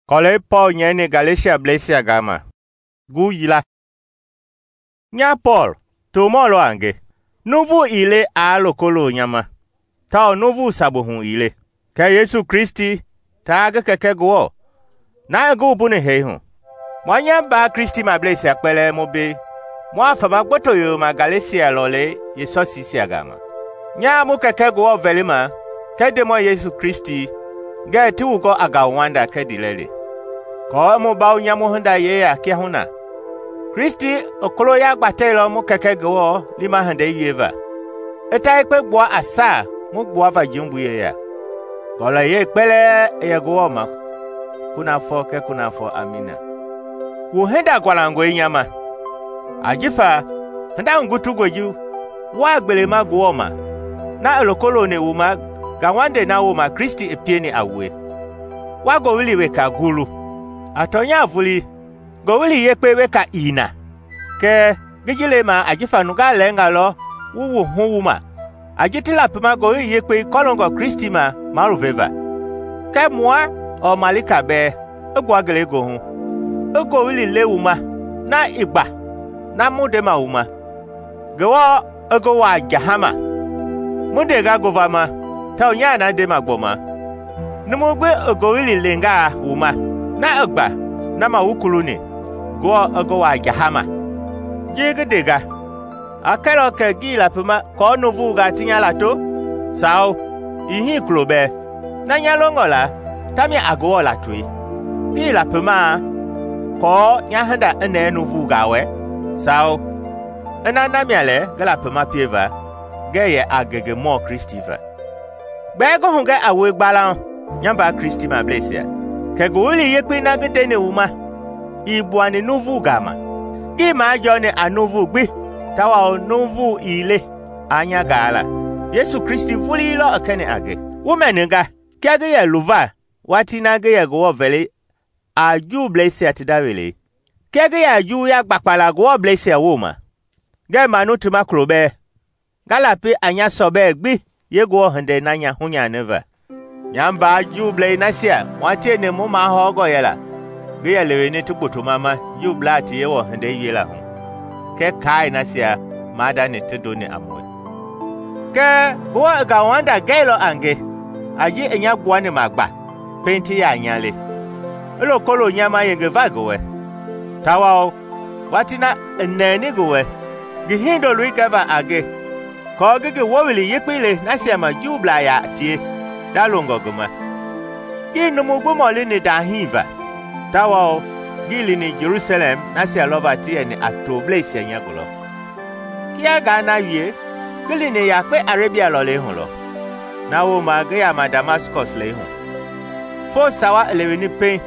Kɔlɛi Pɔɔl nyɛini Galesiablɛisia gama, gu yila. Nya Pɔɔl, tomɔ lɔ a nge. Nuuvu ii le aa loko lo nya ma, tawao nuuvu sabu hu ii le. Kɛɛ Yesu Kristi taa ngi Kɛkɛ Ngewɔ, na i ngi wumbuni hee hu, mua nya mbaa Kristimableisia kpɛlɛɛ mu mbei, mua fama gboto yoyoma Galesia lɔlei yeesɔsiisia gama. Nyaa mu Kɛkɛ Ngewɔ vɛlima kɛɛ Ndemɔi Yesu Kristi ngɛɛ ti wu gɔ a ngauwanda kɛɛ ndiilɛli, aako i mu bawo nyamu hinda yeya kiahuna. Kristi i koloya gbatɛilɔ mu Kɛkɛ Ngewɔ liima hindei wieva, i ta yekpe gbua a saa mu gbuava jumbui yeya. Ngɔlɔyɛi kpɛlɛɛ i yɛ Ngewɔ ma kunafɔ kɛɛ kunafɔ! Amina. Wu hinda gualangɔe nya ma, ajifa hinda hugutungɔi ji waa gbelema Ngewɔ ma na i loko loni wu ma ngauwandei na wooma Kristi i pieni a wue. Wa ngowili weka gulu. A tɔnya vulii, Ngowili Yekpei weka ii na, kɛɛ ngi ji lema ajifa nungaa lɛɛnga lɔ wu wu hu wu ma a ji ti lapima Ngowili Yekpei kɔloongɔ Kristi ma maluveva. Kɛɛ mua ɔɔ malika bɛɛ i gbua ngelegoohu, i ngowili le wu ma na ii gba na mu ndema wu ma. Ngewɔ i ngi waa jahama, mu ndenga ngovama tawao nyaa na ndema gbɔma. Numu gbi i ngowili lengaa wu ma na i gba na ma wu kuluni, Ngewɔ i ngi waa jahama. Ji ngi ndenga, a kɛlɔ kɛ ngii lapima kɔɔ nuuvungaa ti nya lato? Sawo, ii hii kulo bɛɛ. Na nya longɔ la tamia a Ngewɔ latoi. Ngii lapimaa kɔɔ nya hinda i nɛɛ nuuvungaa wɛ? Sawo, ina namia lɛ ngi lapima pieva, ngɛɛ yɛ a ngengemɔ Kristi va. Gbɛɛ ngi hugɛ a wue gbalauŋ, nya mbaa Kristimableisia, kɛ Ngowili Yekpei na ngi ndeni wu ma ii gbuani nuuvungaa ma. Ngii majɔɔni a nuuvu gbi, tawao nuuvu ii le a nya gaa la. Yesu Kristi vulii lɔ i kɛni a nge. Wu mɛninga kia ngi yɛ luva watii na ngi yɛ Ngewɔ vɛli a Juubleisia ti nda welei. Kia ngi yɛ a Juuya gbakpala Ngewɔbleisia wooma, ngɛɛ manu ti ma kulo bɛɛ. Nga lapi a nya sɔbɛɛ gbi yee Ngewɔ hindei na nya hunyaniva. Nya mbaa Juublei nasia mua tieni mu mahɔɔngɔ yɛla ngi yɛ leweni ti gbotoma ma Juublaa ti Yewɔ hindei wiela hu, kɛɛ kaai nasia maadani ti ndoni a mue. Kɛɛ Ngewɔ i ngauwanda gɛilɔ a nge a ji i nya gbuani ma gba pɛiŋ ti yɛ a nya le, i loko lo nya ma yengeva ngi wɛ, tawao watii na i nɛɛni ngi wɛ, ngi hindoloi gɛva a nge kɔɔ ngi ngi wowili yekpei le nasia ma Juublaa yaa tie dalongɔ ngi ma. Ngii numu gbi mɔlini daahii va, tawao ngii lini Jerusalɛm nasia lɔva ti yɛni a tobleisia nya gulɔ. Kia ngaa na wie, ngi lini yakpe Arabia lɔlei hu lɔ, na wooma ngi yama Damaskɔs lei hu. Fo sawa i leweni pɛiŋ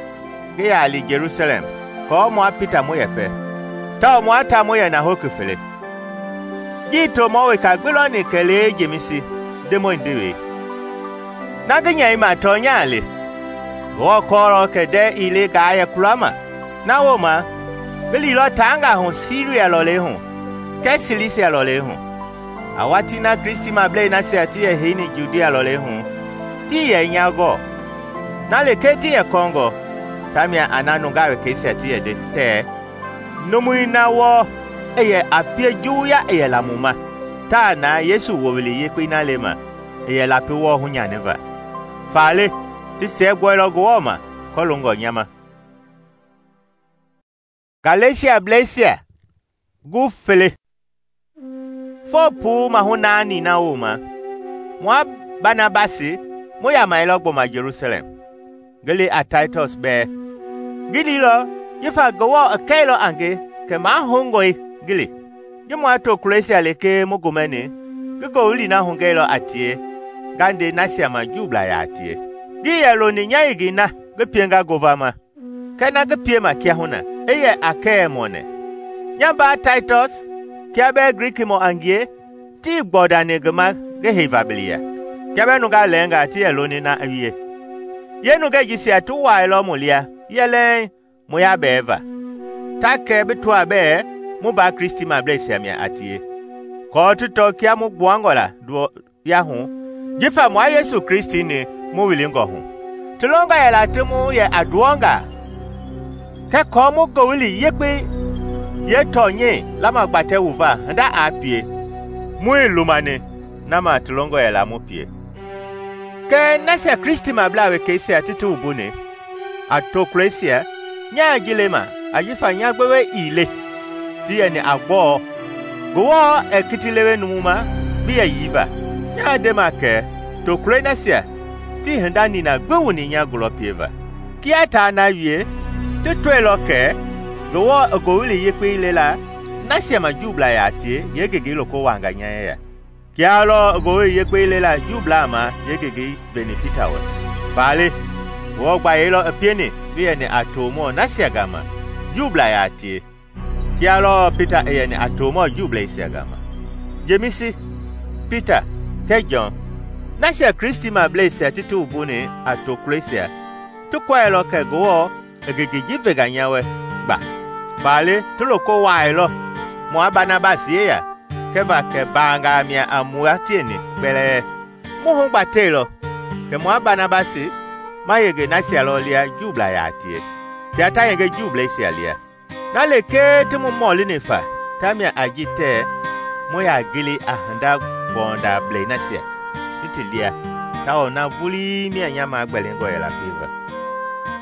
ngi yaa li Jerusalɛm kɔɔ mua Pita mu yɛpɛ, tawao mua ta mu yɛ nahoki fele. Ngii tomɔ weka gbi lɔni kɛlee Jemisi, Ndemɔi ndewei. Na ngi nyɛima tɔnyaa le, Ngewɔ kɔɔlɔ kɛ ndɛɛ ii le ngaa yɛ kulama. Na wooma ngi liilɔ taangaa hu Siria lɔlei hu kɛɛ Silisia lɔlei hu. A watii na Kristimablei nasia ti yɛ heini Judia lɔlei hu tii yɛ nya gɔɔ, na lekee ti yɛ kɔngɔ, tamia a na nungaa wekeisia ti yɛ de tɛɛ, numui na wɔɔ i yɛ a pie Juuya i yɛ la mu ma, taa na Yesu wowili yekpei na le ma i yɛ lapi wɔɔ hunyaniva. Faale ti siɛgbɔilɔ Ngewɔ ma kɔloongɔ nya ma. Galesiablɛisia gu fele. Fo puu mahu naani na wooma, mua Banabasi mu yamailɔ gbɔma Jerusalɛm, ngi li a Taitus bɛɛ. Ngi liilɔ jifa Ngewɔ i kɛilɔ a nge kɛ mahongɔe ngi li. Ji mua to Klosia lekee mu gomɛni, ngi ngowili na hugɛilɔ a tie, nga nde nasia ma Juublaa yaa tie. Ngii yɛ loni nya yigi na ngi pienga govama, kɛɛ na ngi piema kiahuna i yɛ Akɛɛmɔ nɛ. Nya mbaa Taitus kia bɛɛ Grikimɔ a ngie tii gbɔdani ngi ma ngi heiva biliya, kia bɛɛ nungaa lɛɛngaa ti yɛ loni na i wie. Yee nungɛ jisia ti waailɔ mu lia yɛlɛɛŋ mu yaa bɛɛ va, ta kɛ bi tɔa bɛɛ mu baa Kristimableisia mia a tie. Kɔɔ ti tɔ kia mu gbuangɔ la duɔya hu, jifa mua Yesu Kristi ni mu wilingɔ hu. ti longɔ yɛla ti mu yɛ a nduwɔngaa, kɛɛ kɔɔ mu Ngowili Yekpei yeetɔnyɛi lamagbatɛ wu va hinda aa pie, muii lumani na ma ti longɔ yɛla mu pie. Kɛɛ nasia Kristimablaa wekeisia ti wumbuni a tokulɔisia, nyaa ji lema ajifa nya gbewe ii le ti yɛni a gbɔɔ. Ngewɔ ɛɛ kiti lewe numu ma bi yɛyii va. Nyaa ndema kɛ tokulɔi nasia tii hinda nina gbi wuni nya gulɔ pieva. Kia taa na wie, ti tɔilɔ kɛ Ngewɔ i Ngowili Yekpei lela nasia ma Juublaa yaa tie yeengengei loko wanga nya yeya. Kia lɔ i Ngowili Yekpei lela Juublaa ma yeengengei veni Pita wɛ. Faale Ngewɔ gbayei i pieni ngi yɛni a tomɔ nasia gama Juublaa yaa tie, kia lɔ Pita i yɛni a tomɔ Juubleisia gama. Jemisi, Pita kɛɛ Jɔn, nasia Kristimableisia ti wumbuni a tokulɔisia, ti kɔɛilɔ kɛ Ngewɔ i ngengei ji venga nya wɛ gba. Faale ti loko wuaailɔ mua Banabasi yeya kɛva kɛ baangaa mia a mua tieni kpɛlɛɛ. Mu hugbateilɔ kɛ mua Banabasi ma yenge nasia lɔ lia Juublaa yaa tie, tia ta yenge Juubleisia lia. Na lekee ti mu mɔlini fa tamia a ji tɛɛ mu yaa gili a hinda gbɔndablei nasia ti ti lia, tawao na vulii mia nya magbɛlingɔ yɛla pieva.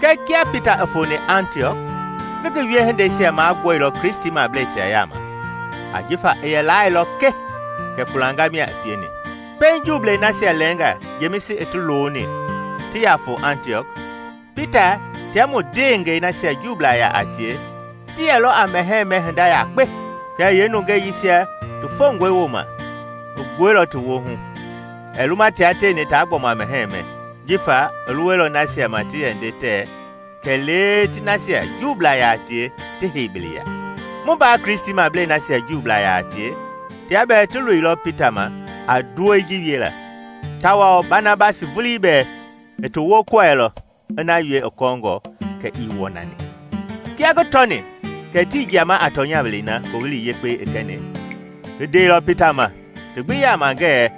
Kɛɛ kia Pita i foni Antiɔk, ngi ngi wiehindeisia magbɔilɔ Kristimableisia yaama, ajifa i yɛ laailɔ ke kɛ kulanga mia i pieni. Pɛiŋ Juublei nasia lɛɛnga Jemisi i ti looni ti yaa fo Antiɔk, Pita tia mu ndeengɛi nasia Juublaa yaa a tie ti yɛlɔ a mɛhɛɛ hinda yakpe. Kɛɛ yeenungɛi yisia ti fongɔi wooma i gbueilɔ ti woohu, ɛ luma tia teeni taa gbɔma mɛhɛɛ, jifa i luwelɔ nasia ma ti yɛ nde tɛɛ kɛlee ti nasia Juublaa yaa tie ti heibiliya. Mu baa Kristimablei nasia Juublaa yaa tie, tia bɛɛ ti loilɔ Pita ma a duwɔi ji wiela, tawao Banabasi vulii bɛɛ i ti woo kɔɛilɔ i na wie i kɔɔngɔ kɛ ii wɔnani. Kia ngi tɔni kɛ tii jiama a tɔnyabelei na Ngowili Yekpei i kɛni, i ndeilɔ Pita ma ti gbi yaama ngɛɛ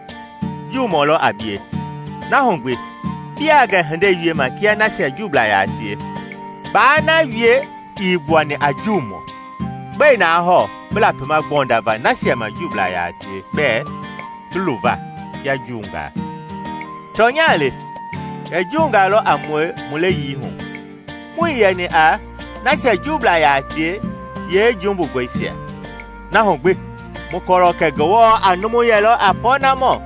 Juumɔ lɔ a bie. Na hu gbi, biaa gɛ hindei wiema kia nasia Juublaa yaa tie, baa na wie ii gbuani a Juumɔ. Gbɛi naa hɔɔ bi lapima gbɔnda va nasia ma Juublaa yaa tie bɛɛ ti luva kia Juungaa. Tɔnyaa le, kɛ Juungaa lɔ a mue mu leyii hu. Mui yɛni a nasia Juublaa yaa tie yee jumbugɔisia. Na hu gbi, mu kɔrɔ kɛ Ngewɔ a numu yɛlɔ a pɔɔnamɔ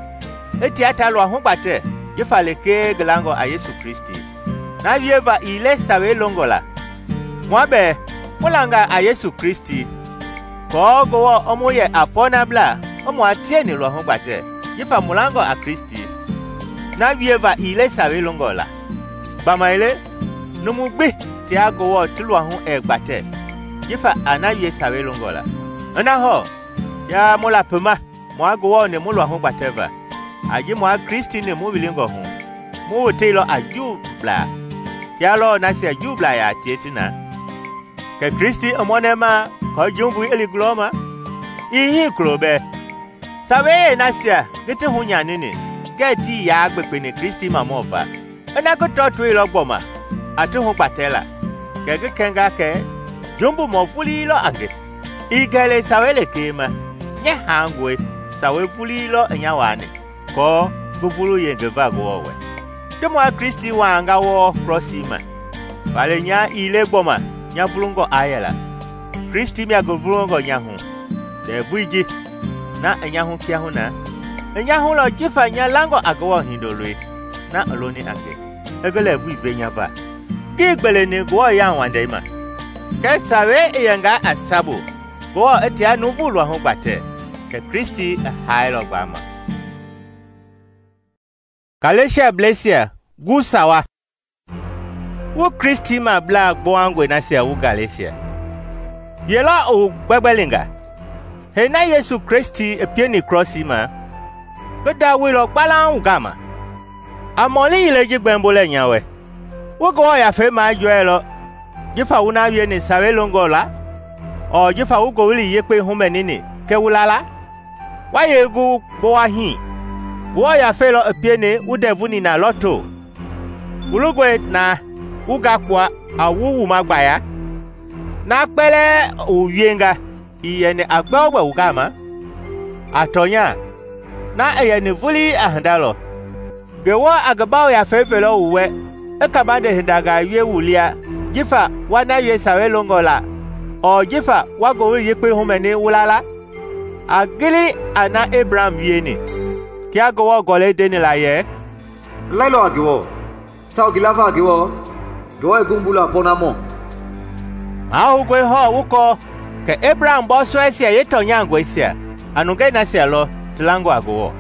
i tia ta lua hugbatɛ jifa lekee ngi langɔ a Yesu Kristi. Na wieva ii le Sawei longɔ la. Mua bɛɛ mu langa a Yesu Kristi, kɔɔ Ngewɔ i mu yɛ a pɔɔnablaa i mua tieni lua hugbatɛ jifa mu langɔ a Kristi. Na wieva ii le Sawei longɔ la. Gbamaile numu gbi tia Ngewɔ ti lua hu ɛɛ gbatɛ jifa a na wie Sawei longɔ la. Ina hɔɔ, yaa mu lapima mua Ngewɔ ni mu lua hugbatɛ va, aji mua Kristi ni mu wilingɔ hu, mu woteilɔ a Juublaa, kia lɔ nasia Juublaa yaa tie ti na. Kɛ Kristi i mɔnɛma kɔɔ jumbui i li gulɔ ma? Ii hii kulo bɛɛ. Sawei nasia ngi ti hunyanini ngɛɛ tii yaa gbekpeni Kristi mamɔ va, ina ngi tɔtoilɔ gbɔma a ti hugbatɛ la, kɛ ngi kɛnga kɛ jumbumɔ vulii lɔ a nge. Ii gɛlɛ Sawei lekee ma, nyɛ haangɔe Sawei vulii lɔ i nya waani, kɔɔ ngi vulu yenge va Ngewɔ wɛ. Ti mua Kristi waanga wɔɔ krɔsii ma, faale nya ii le gbɔma nya vulungɔ aa yɛla. Kristi mia ngi vulungɔ nya hu, ndɛvui ji na i nya hu kiahu na, i nya hu lɔ jifa nya langɔ a Ngewɔ hindoloi na i loni a nge, i ngi lɛɛvui ve nya va. Ngii gbeleni Ngewɔ yauwandei ma, kɛɛ Sawei i yɛngaa a sabu Ngewɔ i tia nuuvu lua hugbatɛ, kɛ Kristi i haailɔ gbaama. Galesiableisia gu sawa. Wu Kristimablaa gbɔwangɔi nasia wu Galesia. Yelɔ i wu gbɛgbɛlinga. Hei na Yesu Kristi i pieni krɔsii ma, ngi dawoilɔ gbalaa wu gama. A mɔli yile ji gbɛmbo lɛ nya wɛ. Wu Ngewɔ yafei majɔɛilɔ jifa wu na wieni Sawei longɔ la, ɔɔ jifa wu Ngowili Yekpei humɛnini kɛ wu la la? Wa yee gu gbɔwa hii? Ngewɔ yafei lɔ i pieni wu ndɛvu nina lɔ to. wu longɔe na wu gakpua a wu wuma gbaya? Na kpɛlɛɛ wu wienga ii yɛni a gbɛogbɛ wu gama? A tɔnya, na i yɛni vulii a hinda lɔ. Ngewɔ a ngi Yafei velɔ wu wɛ i kabande hindangaa wie wu lia jifa wa na wie Sawei longɔ la ɔɔ jifa wa Ngowili Yekpei humɛni wu la la? A gili a na Ebraham wieni, kia Ngewɔ Gɔlɛi ndeni la yɛ, "Lailɔ a Ngewɔ, tawao ngi lava a Ngewɔ, Ngewɔ i gombu la pɔɔnamɔ." Mahoungɔe hɔɔ wu kɔɔ kɛ Ebraham bɔɔsɔɛisia yeetɔnyangɔisia a nungei nasia lɔ ti langɔ a Ngewɔ.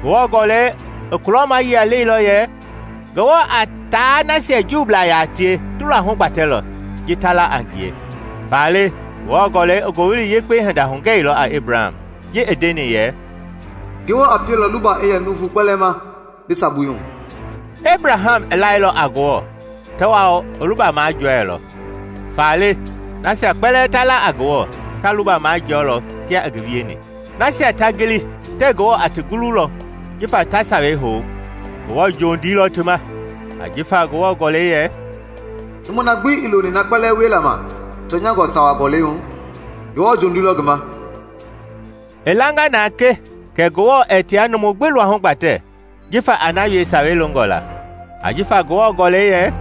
Ngewɔ Gɔlɛi i kulɔma yia leilɔ yɛ Ngewɔ a taa nasia Juublaa yaa tie ti luahu gbatɛlɔ ji ta la a ngie. Faale Ngewɔ Gɔlɛi i Ngowili Yekpei hinda hugɛilɔ a Ebraham ji i ndeni yɛ, "Ngewɔ a pielɔ luba i yɛ nuuvu kpɛlɛɛ ma bi sabui hu." Ebraham i lailɔ a Ngewɔ, tawao i luba majɔɛlɔ. Faale nasia kpɛlɛɛ ta la a Ngewɔ ta luba majɔɔlɔ kia i ngi wieni. Nasia ta gili tɛɛ Ngewɔ a ti gululɔ jifa ta Sawei hou, Ngewɔ jondiilɔ ti ma, ajifa Ngewɔ Gɔlɛi yɛ, "Numu na gbi i loni na kpɛlɛɛ wie la ma tɔnyangɔ sawa gɔlɛi hu, Ngewɔ jondiilɔ ngi ma." I langa na ke kɛ Ngewɔ ɛɛ tia numu gbi luahu gbatɛ jifa a na wie Sawei longɔ la, ajifa Ngewɔ Gɔlɛi yɛ,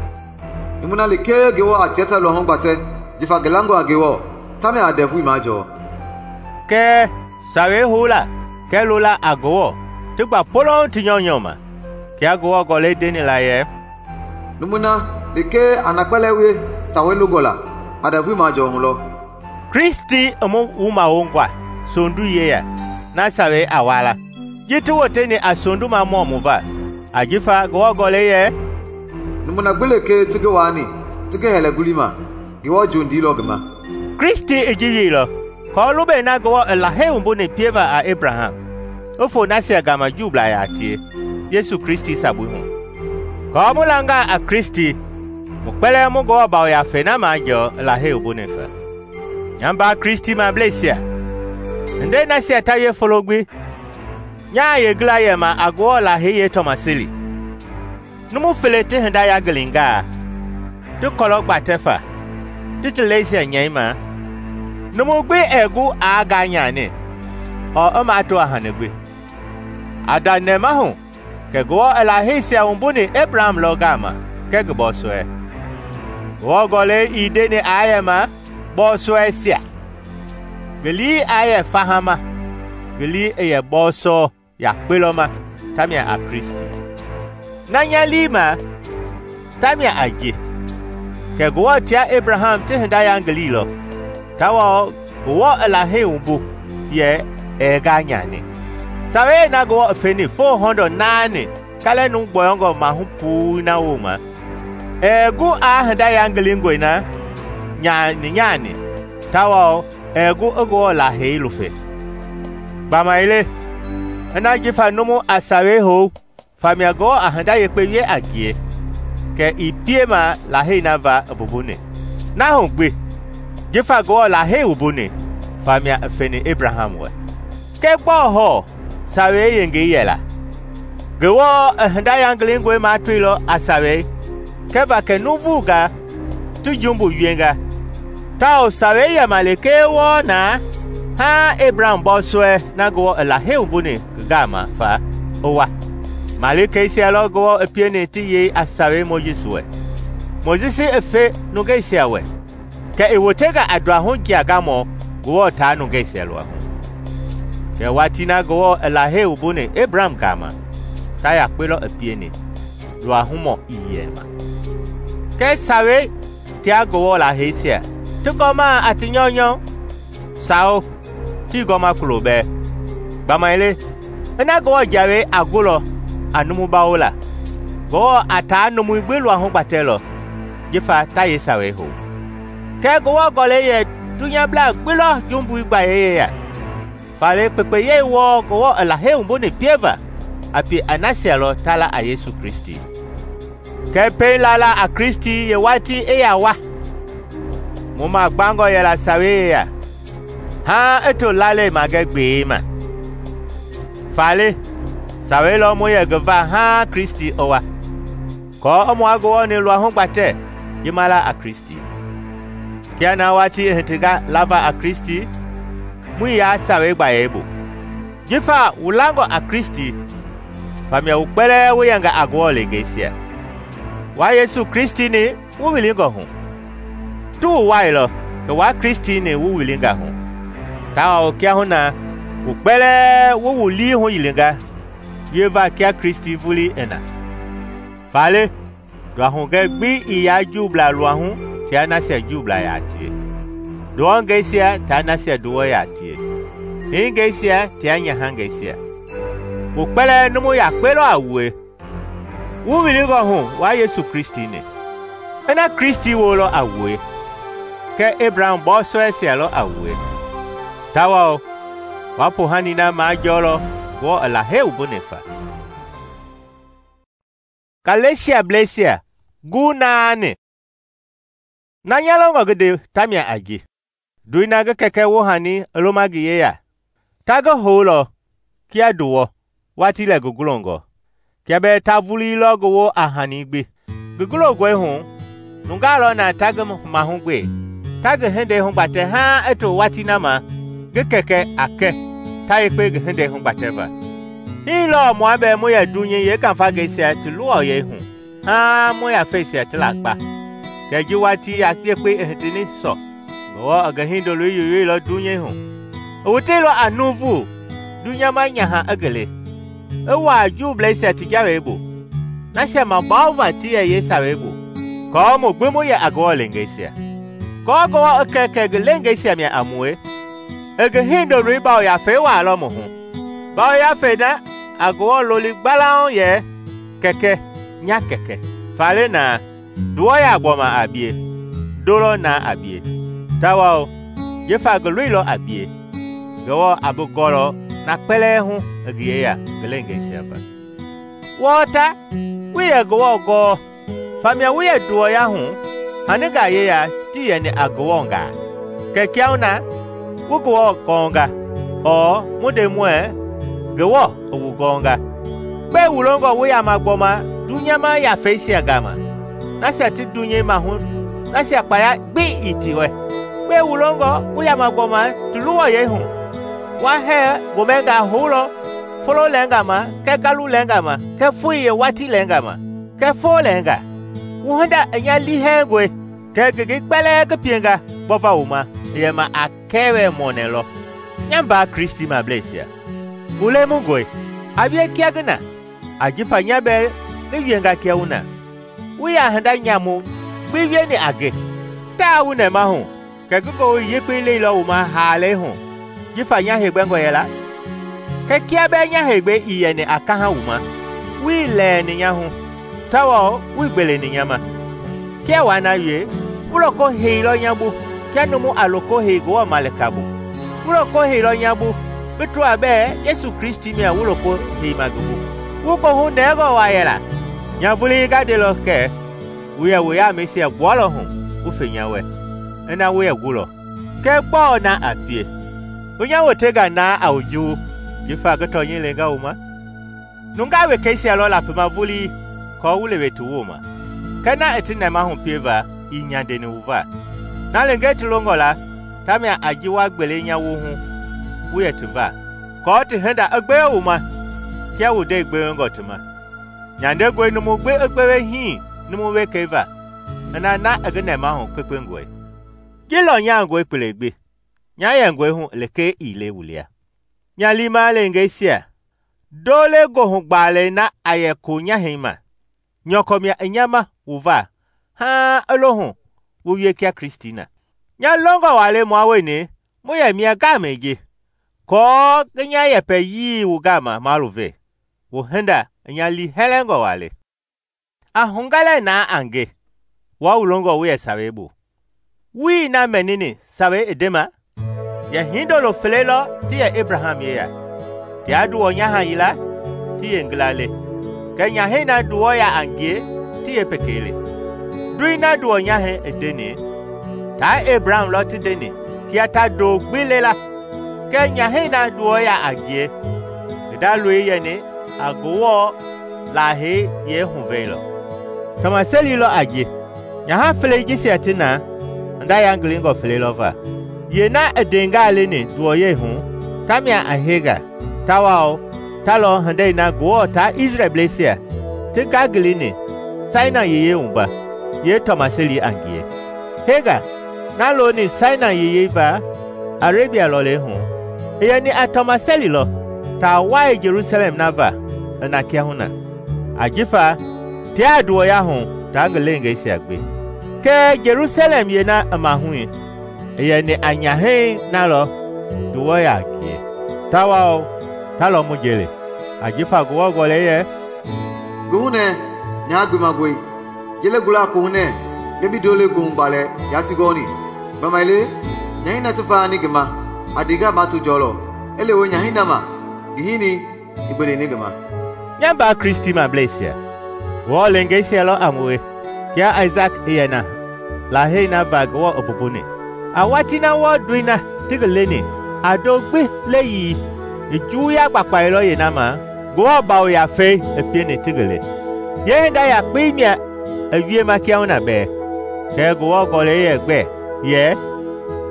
"Numu na lekee Ngewɔ a tia ta luahu gbatɛ jifa ngi langɔ a Ngewɔ, tamia a ndɛvui majɔɔ." Kɛɛ Sawei hou la kɛɛ lola a Ngewɔ ti gba polong ti nyɔunyɔ ma, kia Ngewɔ Gɔlɛi ndeni la yɛ, "Numu na lekee a na kpɛlɛɛ wie Sawei longɔ la, a ndɛvui majɔɔ hu lɔ." Kristi i mu wumawongɔa sondu yeya na Sawei a wala, ji ti woteni a sonduma mɔ mu va, ajifa Ngewɔ Gɔlɛi yɛ, "Numu na gbi lekee ti ngi waani ti ngi hɛlɛ gulima, Ngewɔ jondiilɔ ngi ma." Kristi i ji wieilɔ kɔɔ lubei na Ngewɔ i Lahei wumbuni pieva a Ebraham i fo nasia gama Juublaa yaa tie Yesu Kristi sabui hu. Kɔɔ mu langa a Kristi, mu kpɛlɛɛ mu Ngewɔ Yafei na majɔɔ i Lahei wumbuni fa. Nya mbaa Kristimableisia, hindei nasia ta wie folo gbi, nyaa yengila yɛma a Ngewɔ Lahei yeetɔmaseli. Numu fele ti hinda yagilingaa, ti kɔlɔ gbatɛ fa, ti leisia nyɛi ma. Numu gbi ɛɛ gu aa gaa nyani, ɔɔ i maa to a hani gbi. A da nɛma hu kɛ Ngewɔ i Laheisia wumbuni Ebraham lɔ gama kɛɛ ngi bɔɔsɔɛ. Ngewɔ Gɔlɛi ii ndeni aa yɛ ma bɔɔsɔɛisia, ngi lii aa yɛ fahama, ngi lii i yɛ bɔɔsɔ yakpe lɔ ma tamia a Kristi. Na nya lii ma tamia a ji, kɛ Ngewɔ tia Ebraham ti hinda yangililɔ, tawao Ngewɔ i Lahei wumbu yɛ ɛɛ gaa nyani. Sawei na Ngewɔ i feni 408 kalɛnu gbɔyɔngɔ mahu puu na wooma, ɛɛ gu aa hinda yangilingɔe na nyani, tawao ɛɛ gu i Ngewɔ Lahei lufe. Gbamaile, ina jifa numu a Sawei hou famia Ngewɔ a hinda yekpe wie a ngie, kɛ i piema Lahei na va i bubuni. Na hu gbi, jifa Ngewɔ Lahei wumbuni famia i feni Ebraham wɛ. Kɛ gbɔɔ hɔɔ Sawei yengei yɛ la? Ngewɔ i hinda yangilingɔe matoilɔ a Sawei kɛva kɛ nuuvungaa ti jumbu wienga, tawao Sawei yɛma lekee wɔɔ na haa Ebraham bɔɔsɔɛ na Ngewɔ i Lahei wumbuni ngi gama fa i wa. Malikeisia lɔ Ngewɔ i pieni ti yei a Sawei Mojisi wɛ. Mojisi i fe nungeisia wɛ, kɛ i wotenga a duahu jia gamɔ Ngewɔ taa nungeisia luahu. Kɛ waati na Ngewɔ i Lahei wumbuni Ebraham gama, ta yakpe lɔ i pieni, luahumɔ ii yɛma. Kɛ Sawei tia Ngewɔ Laheisia ti gɔma a ti nyɔunyɔ, sao ti gɔma kulo bɛɛ. Gbamaile, ina Ngewɔ Jawei a gulɔ a numu bawo la, Ngewɔ a taa numui gbi luahu gbatɛlɔ jifa ta ye Sawei hou. Kɛ Ngewɔ Gɔlɛi yɛ dunyablaa gbi lɔ jumbui gbayeyeya. Faale kpekpeyei wɔɔ Ngewɔ i Lahei wumbuni pieva a pi a nasia lɔ ta la a Yesu Kristi. Kɛ pɛiŋ lala a Kristi ye waati i yaa wa, mu ma gbangɔ yɛla Sawei yeya, haa i to lalei magɛ gbee ma. Faale Sawei lɔ mu yɛ ngi va haa Kristi i wa. kɔɔ i mua Ngewɔ-ni luahu gbatɛ ji ma la a Kristi. Kia na watii i hitinga lava a Kristi, muii yaa Sawei gbayei bu. Jifa wu langɔ a Kristi, famia wu kpɛlɛɛ wu yɛnga a Ngewɔ leengeisia. Wa Yesu Kristi-ni wu wilingɔ hu. Ti wu wailɔ kɛ wa Kristi-ni wu wilinga hu, tawao kiahuna wu kpɛlɛɛ wu wu lii hu yilinga wieva kia Kristi vulii i na. Faale, nduahugɛ gbi ii yaa Juublaa luahu tia nasia Juublaa yaa tie, nduwɔngɛisia tia nasia nduwɔ yaa tie, hingɛisia tia nyahangɛisia. Wu kpɛlɛɛ numu yakpe lɔ a wue. Wu wilingɔ hu wa Yesu Kristi-ni. Ina Kristi wolɔ a wue, kɛ Ebraham bɔɔsɔɛisia lɔ a wue, tawao wa poohani na majɔɔlɔ Ngewɔ i Lahei wumbuni fa. Galesiablɛisia gu 8. Na nya longɔ ngi nde tamia a ji: ndoi na ngi kɛkɛ wohani i loma ngi yeya, ta ngi houlɔ kia nduwɔ watii lɛ ngi gulongɔ, kia bɛɛ ta vulii ngi wo a hani gbi. Ngi gulongɔi hu, nungaa lɔ na ta ngi mahugbe, ta ngi hindei hugbatɛ haaŋ i to watii na ma ngi kɛkɛ a kɛ ta yekpe ngi hindei hugbatɛva. Hii lɔɔ mua bɛɛ mu yɛ dunyei yeekafangɛisia ti luwɔyɛi hu haaŋ mu yafeisia ti lakpa. Kɛ ji watii yekpe i hitini sɔ, Ngewɔ i ngi Hindoloi yoyoilɔ dunyei hu. I woteilɔ a nuuvu dunyama nyaha i ngi le, i wuaa Juublɛisia ti jawei bu, nasia mabawova ti yɛ yeesawei bu, kɔɔ mu gbi mu yɛ a Ngewɔ leengeisia. Kɔɔ Ngewɔ i kɛ ngi leengeisia mia a mue, i ngi Hindoloi yafei waalɔ mu hu. Yafei na a Ngewɔ loli gbalauŋ yɛ kɛkɛ nya kɛkɛ. Faale na, nduwɔ yaa gbɔma a bie, ndolɔ na a bie, tawao jifa ngi loilɔ a bie, Ngewɔ a bi gɔlɔ na kpɛlɛɛ hu i ngi yeya ngi leengeisia va. Wɔɔ ta, wi yɛ Ngewɔ gɔɔ, famia wi yɛ nduwɔya hu haningaa yeya tii yɛni a Ngewɔngaa. Kɛ kiahuna wu Ngewɔ gɔɔnga, ɔɔ mu nde muɛɛ Ngewɔ i wu gɔɔnga. Gbɛe wu longɔ wu yama gbɔma dunyama yafeisia gama, nasia ti dunyei mahu nasia kpaya gbi ii ti wɛ? Gbɛe wu longɔ wu yama gbɔma ti luwɔyɛi hu? Wa hɛɛ gomɛngaa houlɔ folo lɛnga ma, kɛ galu lɛnga ma, kɛ foi yeewatii lɛnga ma, kɛ foo lɛnga. Wu hinda i nya liihɛɛngɔe, kɛ ngenge kpɛlɛɛ ngi pienga gbɔva wu ma i yɛma a kɛwɛ mɔnɛ lɔ. Nya mbaa Kristimablɛisia, wu lemungɔe, a wie kia ngi na, ajifa nya bɛɛ ngi wienga kia wu na. Wu yaa hinda nyamu gbi wieni a nge, taa wu nɛma hu, kɛ ngi Ngewɔ yekpei leilɔ wu ma haalei hu, jifa nya heegbɛngɔ yɛla. Kɛ kia bɛɛ nya heegbe ii yɛni a kaha wu ma, wii lɛɛni nya hu, tawao wii gbeleni nya ma. Kia waa na wie, wu loko heilɔ nya bu kia numu a loko hei Ngewɔ malika bu. Wu loko heilɔ nya bu bi tɔa bɛɛ Yesu Kristi mia wu loko heima ngi bu. Wu kohu nɛɛngɔ waa yɛla, nya vulii ga ndelɔ kɛ wu yɛ wu yaamɛisia gbualɔ hu wu fe nya wɛ, ina wu yɛ gulɔ. Kɛ gbɔɔ na a pie? Wu nya wotenga naa a wu juu, jifa ngi tɔnyɛi lenga wu ma? Nungaa wekeisia lɔ lapima vulii kɔɔ wu lewe ti wooma, kɛ na i ti nɛma hu pieva ii nyandeni wu va. Na lengei ti longɔ la, tamia a ji wa gbele nya wu hu wu yɛ ti va, kɔɔ ti hinda i gbewe wu ma kia wu ndei gbewengɔ ti ma. Nyandengɔe numu gbi i gbewe hii numu wekei va, ina na i ngi nɛma hu kpekpengɔe. Ji lɔ nyaangɔe kpelegbi, nya yɛngɔe hu lekee ii le wu lia. Nya liima leengeisia, dole gohu gbaalɛi na a yɛ ko nyahɛi ma, nyɔkɔ mia i nya ma wu va, haaŋ i lo hu wu wie kia Kristi na. Nya longɔ waa le mua weni mu yɛ mia gaamɛi ji, kɔɔ ngi nya yɛpɛ yii wu gama malu ve, wu hinda i nya liihɛlɛngɔ waa le. A hungalɛ naa a nge, waa wu longɔ wu yɛ Sawei bu. Wii na mɛnini Sawei i ndema? Yɛ hindolo fele lɔ ti yɛ Abraham yeya, tia nduwɔ nyaha yila ti yɛ ngila le, kɛ nyahɛi na nduwɔ ya a ngie ti yɛ pekei le. Ndoi na nduwɔ nyahɛi i ndeni, taa Abraham lɔ ti ndeni kia ta do gbi le la, kɛ nyahɛi na nduwɔ ya a ngie, ngi da loi yɛni a Ngewɔ Lahei yehuveilɔ. tɔmaseli lɔ a ji, nyaha felei jisia ti na hinda yangilingɔ fele lɔ va. Yeena i ndengaa leni nduwɔyɛi hu tamia a Hega, tawao ta lɔ hindei na Ngewɔ taa Isrɛlbleisia ti ngangilini Sainai yiyei wumba yeetɔmaseli a ngie. Hega, na looni Sainai yiyei va Arabia lɔlei hu, i yɛni a tɔmaseli lɔ taa wai Jelusalɛm na va i na kiahuna, ajifa tia nduwɔya hu taa ngi leengeisia gbi. Kɛɛ Jelusalɛm yeena i mahui i yɛni a nyahɛi na lɔ nduwɔya a ngie, tawao ta lɔ mu jeli, ajifa Ngewɔ Gɔlɛi yɛ, Ngi hunɛ nyaa gbemagbe, jele gula kohunɛ nge bi dole gohu gbalɛ yaa ti gɔɔni. Gbamaile nyahɛi na ti vaani ngi ma a dinga ma tu jɔlɔ, i lewe nyahɛi na ma ngi hini i gbeleni ngi ma. Nya mbaa Kristimableisia, Ngewɔ leengeisia lɔ a mue kia Aisaki i yɛ na lahei na va Ngewɔ i pumpuni. A watii na wɔɔdoi na ti ngi leni a ndo gbi leyii i juwuya gbakpailɔ yeena ma Ngewɔ Yafei i pieni ti ngi le. Yeehinda yakpei mia i wiema kiahuna bɛɛ. Kɛɛ Ngewɔ Gɔlɛi yɛ gbɛ yɛ,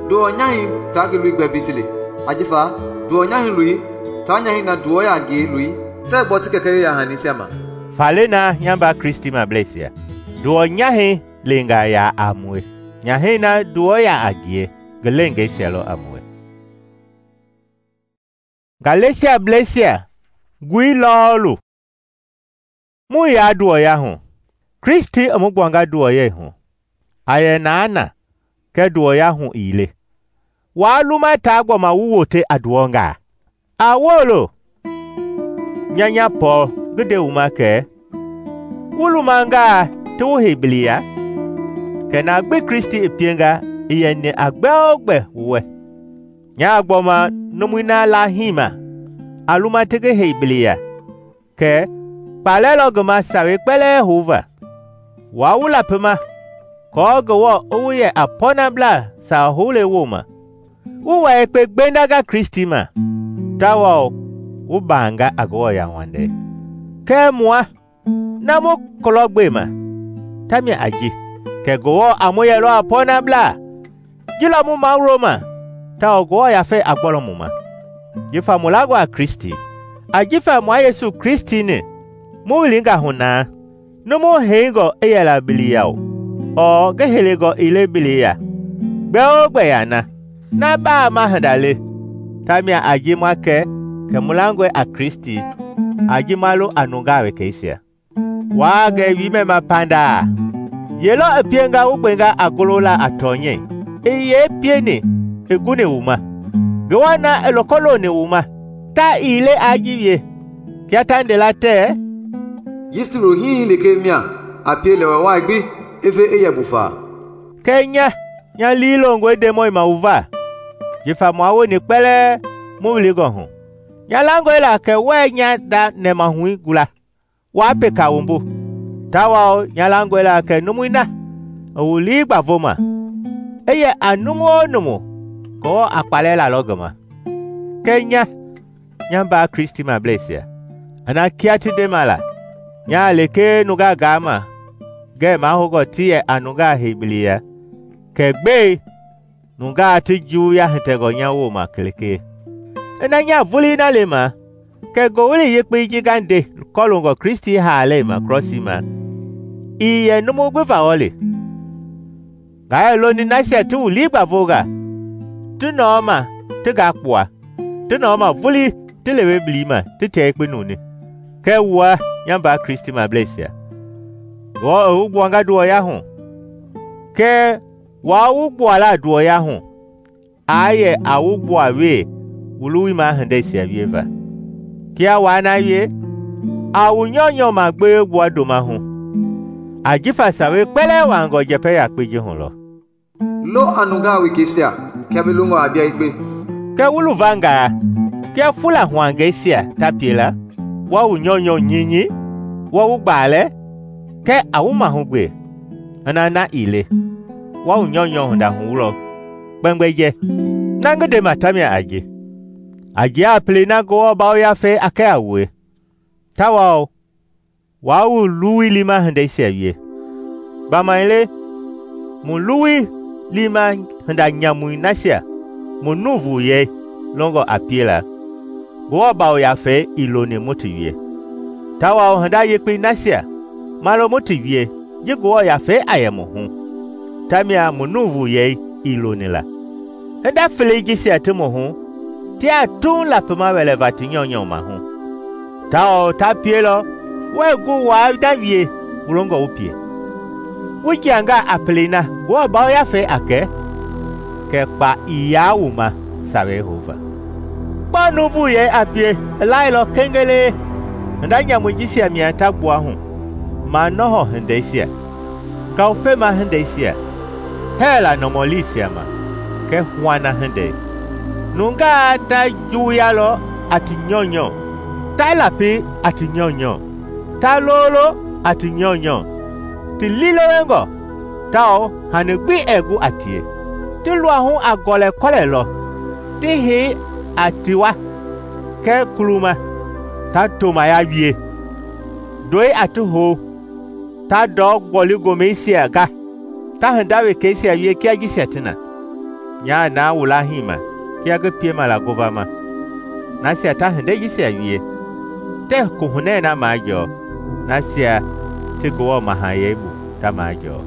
Nduwɔ nyahɛi taa ngi loi gbɛ bi ti le, ajifa nduwɔ nyahɛi loi taa nyahɛi na nduwɔya a ngie loi tɛɛ gbɔ ti kɛkɛ yeya-hanisia ma. Faale na nya mbaa Kristimableisia, nduwɔ nyahɛi leengaa yaa a mue, nyahɛi na nduwɔya a ngie ngi leengeisia lɔ a mue. Galesiableisia gui lɔɔlu. Mu yaa nduwɔya hu, Kristi i mu gbuanga nduwɔyɛi hu. A yɛ naana kɛɛ nduwɔya hu ii le. Waa luma taa gbɔma wu wote a nduwɔngaa? A wolo! Nya Pɔɔl ngi nde wu ma kɛ wu lumangaa ti wu hei biliya? Kɛ na gbi Kristi i pienga i yɛni a gbɛogbɛ wu wɛ. Nyaa gbɔma numui na laahii ma a luma ti ngi hei biliya, kɛ kpaalɛ lɔ ngi ma sawei kpɛlɛɛ houva. Waa wu lapima kɔɔ Ngewɔ i wu yɛ a pɔɔnablaa sawa houlei wooma. Wu wa yekpe gbendanga Kristi ma, tawao wu baanga a Ngewɔ yauwandei. Kɛɛ mua, na mu kulɔ gbema, tamia a ji, kɛ Ngewɔ a mu yɛlɔ a pɔɔnablaa. Ji lɔ mu mawuloma, tawao Ngewɔ Yafei a gbɔlɔ mu ma. Jifa mu langɔ a Kristi, ajifa mua Yesu Kristi-ni mu wilinga hu naa, numu heingɔ i yɛla biliya o, ɔɔ ngi helengɔ ii le biliya, gbɛogbɛ yaa na baa ma hinda le. Tamia a ji mua kɛ mu langɔe a Kristi a ji ma lo a nungaa wekeisia. Waa gɛ wiimɛma pandaa, ye lɔ i pienga wu gbenga a golola a tɔnyɛi, i yee pieni i guni wu ma? Ngewɔ na i loko loni wu ma, ta ii le a ji wie, kia ta ndela tɛɛ, Yisti lo hihi leke mia a pie lɛwɛ waa gbi efe i yɛ bufaa. Kɛ nya liilongɔe Ndemɔi ma wu va, jifa mua woni kpɛlɛɛ mu wilingɔ hu. Nya langɔe la kɛ wɛɛ nya da nɛmahui gula, waa peka wumbu, tawao nya langɔe la kɛ numui na i wu lii gbavoma, i yɛ a numu o numu Ngewɔ a kpaalɛ lalɔ ngi ma. Kɛɛ nya mbaa Kristimableisia, a na kia ti ndema la, nyaa lekee nungaa gaama ngɛɛ mahoungɔ ti yɛ a nungaa hei biliya, kɛ gbei nungaa ti juwuya hitɛngɔ nya wooma kelekee. Ina nya vulii na le ma, kɛ Ngowili Yekpei ji nga nde kɔlungɔ Kristi haalei ma krɔsii ma, ii yɛ numu gbi vawɔ le. Ngaa yɛ loni nasia ti wu lii gbavonga, ti nɔɔma ti gaa kpua, ti nɔɔma vulii ti lewe bilii ma ti tia yekpe nuni. Kɛɛ wua nya mbaa Kristimableisia, Ngewɔ i wu gbuanga nduwɔya hu, kɛɛ waa wu gbuala nduwɔya hu, aa yɛ a wu gbua wee wu luwima hindeisia wieva. Kia waa na wie, a wu nyɔunyɔ ma gbee gbua ndoma hu, ajifa sawei kpɛlɛɛ waangɔ njɛpɛ yakpei ji hu lɔ. Lo a nungaa wekeisia kia bi longɔ a bia yekpe. Kɛ wu luvangaa, kia fula huangeisia ta pie la, wa wu nyɔunyɔ nyinyi, wa wu gbaalɛ, kɛ a wu mahugbe, ina na ii le, wa wu nyɔunyɔ hinda hu lɔ kpɛngbɛjɛ. Na ngi ndema tamia a ji. A ji a pele na Ngewɔ Yafei a kɛ a wue, tawao waa wu luwui lima hindeisia wie. Gbamaile mu luwui liima hinda nyamui nasia mu nuuvuyɛi longɔ a piela, Ngewɔ Yafei ii loni mu ti wie. Tawao hinda yekpei nasia ma lo mu ti wie ji Ngewɔ Yafei a yɛ mu hu, tamia mu nuuvuyɛi ii loni la. Hinda felei jisia ti mu hu tiaa tuuŋ lapima wɛlɛva ti nyɔunyɔ maahu, tawao ta pielɔ wuɛɛ gu waa na wie wu longɔ wu pie. Wu jiangaa a pelei na Ngewɔ Yafei a kɛ kpa ii yaa wu ma Sawei houva. Gbɔɔ nuuvuyɛi a pie i lailɔ kengelee hinda nyamui jisia mia ta gbua hu: manɔhɔ hindeisia, ngawufema hindeisia, hɛɛla nɔmɔliisia ma, kɛɛ huana hindei. Nungaa ta juwuyalɔ a ti nyɔunyɔ, ta lapi a ti nyɔunyɔ, ta loolo a ti nyɔunyɔ, ti liilewengɔ tawao hani gbi ɛɛ gu a tie. Ti luahu a gɔlɛkɔlɛ lɔ, ti hei a tiwa kɛɛ kuluma, ta tomaya wie, ndɔi a ti hou, ta ndɔ gbɔli-gomɛisia ga, ta hinda wekeisia wie kia jisia ti na. Nyaa na wu lahii ma kia ngi piema la govama, nasia ta hindei jisia wie, tɛɛ kohunɛ na majɔɔ, nasia ti Ngewɔ mahayɛi bu ta majɔɔ.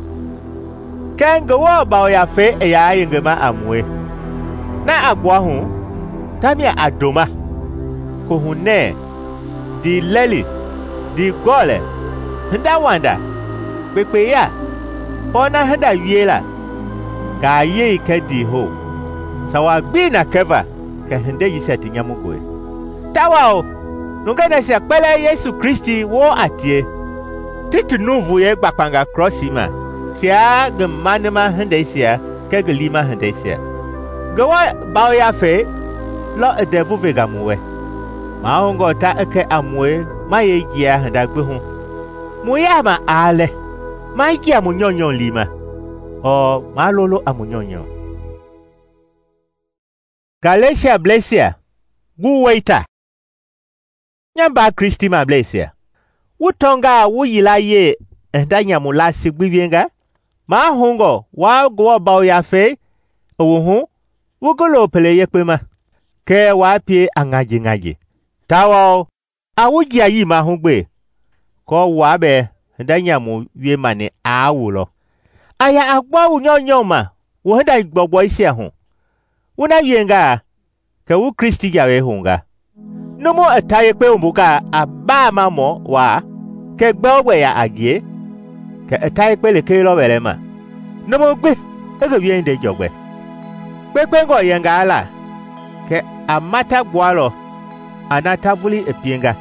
Kɛɛ Ngewɔ Yafei i yaa yengema a mue, na a gbua hu tamia a ndoma, kohunɛ, ndiilɛli, ndiigɔlɛ, hinda wanda, kpekpeya, pɔɔna hinda wiela, ngayei kɛɛ ndiihou, sawa gbii na kɛva kɛ hindei jisia ti nyamungɔe. Tawao nungei nasia kpɛlɛɛ Yesu Kristi woo a tie, ti ti nuuvuyɛi gbakpanga krɔsii ma tia ngi manima hindeisia kɛɛ ngi liima hindeisia. Ngewɔ Yafei lɔ i ndɛvu venga mu wɛ, mahoungɔ ta i kɛ a mue ma yei jia hinda gbi hu. Mu yaama aa lɛ, ma jia mu nyɔunyɔ liima, ɔɔ ma lolo a mu nyɔunyɔ. Galesiablɛisia, gu weita. Nya mbaa Kristimableisia, wu tɔngaa wu yilayee i hinda nyamu laasi gbi wienga, mahoungɔ waa Ngewɔ Yafei i wu hu wu ngi lo pele yekpe ma, kɛɛ waa pie a ŋaji-ŋaji, tawao a wu jiayii mahugbe, kɔɔ waa bɛɛ hinda nyamu wiemani aa wu lɔ. A ya a gbɔ wu nyɔunyɔ ma wu hinda gbɔugbɔisia hu. Wu na wiengaa, kɛ wu Kristi jawei hounga. Numu i ta yekpe wumbungaa a baamamɔ waa, kɛ gbɛogbɛ ya a ngie, kɛ i ta yekpe lekee lɔ wɛlɛma. Numu gbi i ngi wiehindei jɔgbɛ. Kpekpengɔ yɛngaa la, kɛ a mata gbualɔ a na ta vuli i pienga,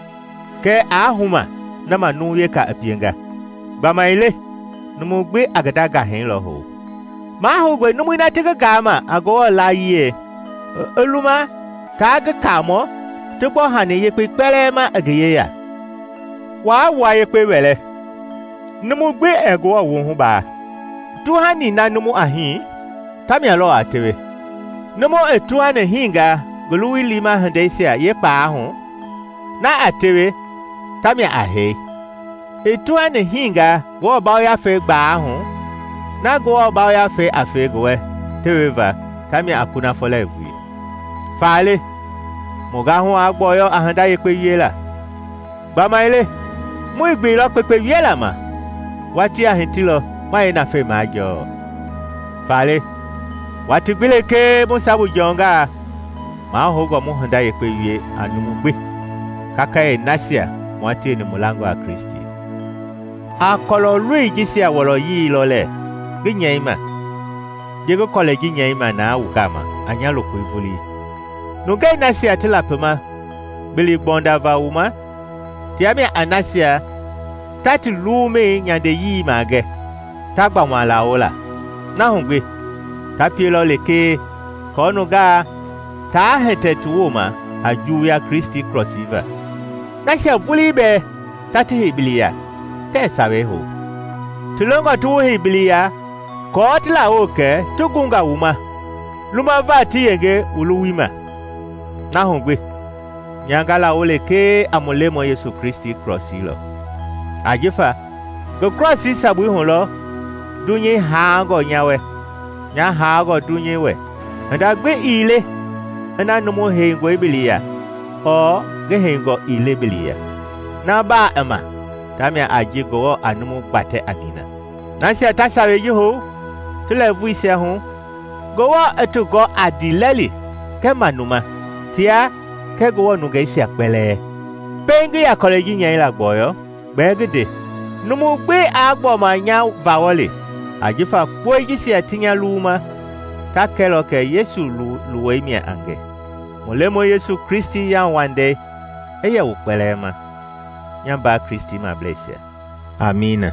kɛɛ aa huma na ma numu weka i pienga. Gbamaile numu gbi a ngi nda gahɛi lɔ hou. Mahoungɔe numui na ti ngi gaama a Ngewɔ laayie i luma taa ngi kaamɔ ti gbɔ hani yekpei kpɛlɛɛ ma i ngi yeya. Waa wua yekpe wɛlɛ, numu gbi ɛɛ Ngewɔ wuhu baa. Tuhani na numu a hii, tamia lɔ a tewe. Numu i tuhani hiinga ngi luwui liima hindeisia yeekpaa hu, na a tewe, tamia a hei. I tuhani hiinga Ngewɔ Yafei gbaa hu, na Ngewɔ Yafei a fei ngi wɛ teweva, tamia a kunafɔ la i vui. Faale, mu gahu a gbɔyɔ a hinda yekpe wiela. Gbamaile, mui gbeilɔ kpekpe wiela ma, watii a hitilɔ ma yeenafei majɔɔ. Faale, wati gbi lekee mu sabu jɔngaa, mahoungɔ mu hinda yekpe wie a numu gbi, kakayee nasia mua tieni mu langɔ a Kristi. A kɔlɔloi jisia wɔlɔyii lɔ lɛ ngi nyɛima, ji ngi kɔlɛi ji nyɛima naa wu gama a nya lokoi vulii. Nungei nasia ti lapima gbili gbɔndava wu ma, tia mia a nasia ta ti luumei nyandeyii magɛ, ta gbama lawo la. Na hu gbi, ta pielɔ lekee kɔɔ nungaa taa hɛtɛ ti wooma a juwuya Kristi krɔsii va. Nasia vulii bɛɛ ta ti heibiliya, tɛɛ Sawei hou. Ti longɔ ti wu heibiliya kɔɔ ti lawo kɛ ti gunga wu ma, lumava ti yenge wu luwui ma. Na hu gbi, nyanga lawo lekee a mu Lemɔ Yesu Kristi krɔsii lɔ. Ajifa ngi krɔsii sabui hu lɔ dunyei haangɔ nya wɛ, nya haangɔ dunyei wɛ. Hinda gbi ii le ina numu heingɔe bili ya ɔɔ ngi heingɔ ii le bili ya. Na baa i ma tamia a ji Ngewɔ a numu gbatɛ a nina. Nasia ta Sawei ji hou ti lɛɛvuisia hu, Ngewɔ i ti gɔ a ndiilɛli kɛɛ manuma, tia kɛɛ Ngewɔ nungeisia kpɛlɛɛ. Pɛiŋ ngi yaa kɔlɛi ji nyɛila gbɔyɔ, gbɛɛ ngi nde, numu gbi aa gbɔma nya vawɔli, ajifa kpɔi jisia ti nya luwuma ta kɛlɔ kɛ Yesu luwɔi mia a nge. Mu Lemɔi Yesu Kristi yauwandei i yɛ wu kpɛlɛɛ ma, nya mbaa Kristimableisia. Amiina.